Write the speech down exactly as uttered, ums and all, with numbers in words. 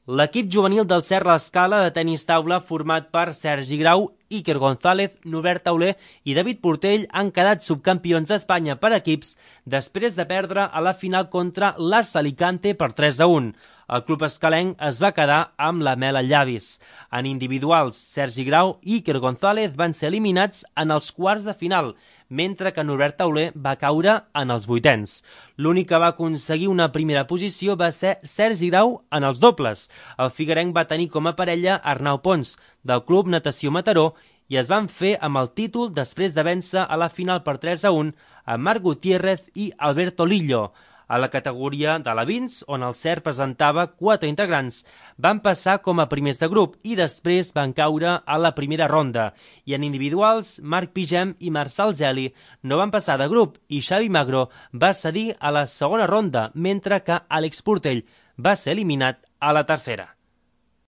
L'equip juvenil del Serra Escala de tenis taula, format per Sergi Grau, Iker González, Nubert Tauler i David Portell, han quedat subcampions d'Espanya per equips després de perdre a la final contra l'Ars Alicante per tres a un. El club escalenc es va quedar amb la mel als llavis. En individuals, Sergi Grau i Iker González van ser eliminats en els quarts de final, mentre que Nubert Tauler va caure en els vuitens. L'únic que va aconseguir una primera posició va ser Sergi Grau en els dobles. El figuerenc va tenir com a parella Arnau Pons, del Club Natació Mataró, i es van fer amb el títol després de vèncer a la final per tres a un a Marc Gutiérrez i Alberto Lillo. A la categoria de la Vins, on el C E R presentava quatre integrants, van passar com a primers de grup i després van caure a la primera ronda. I en individuals, Marc Pigem i Marçal Geli no van passar de grup i Xavi Magro va cedir a la segona ronda, mentre que Àlex Portell va ser eliminat a la tercera.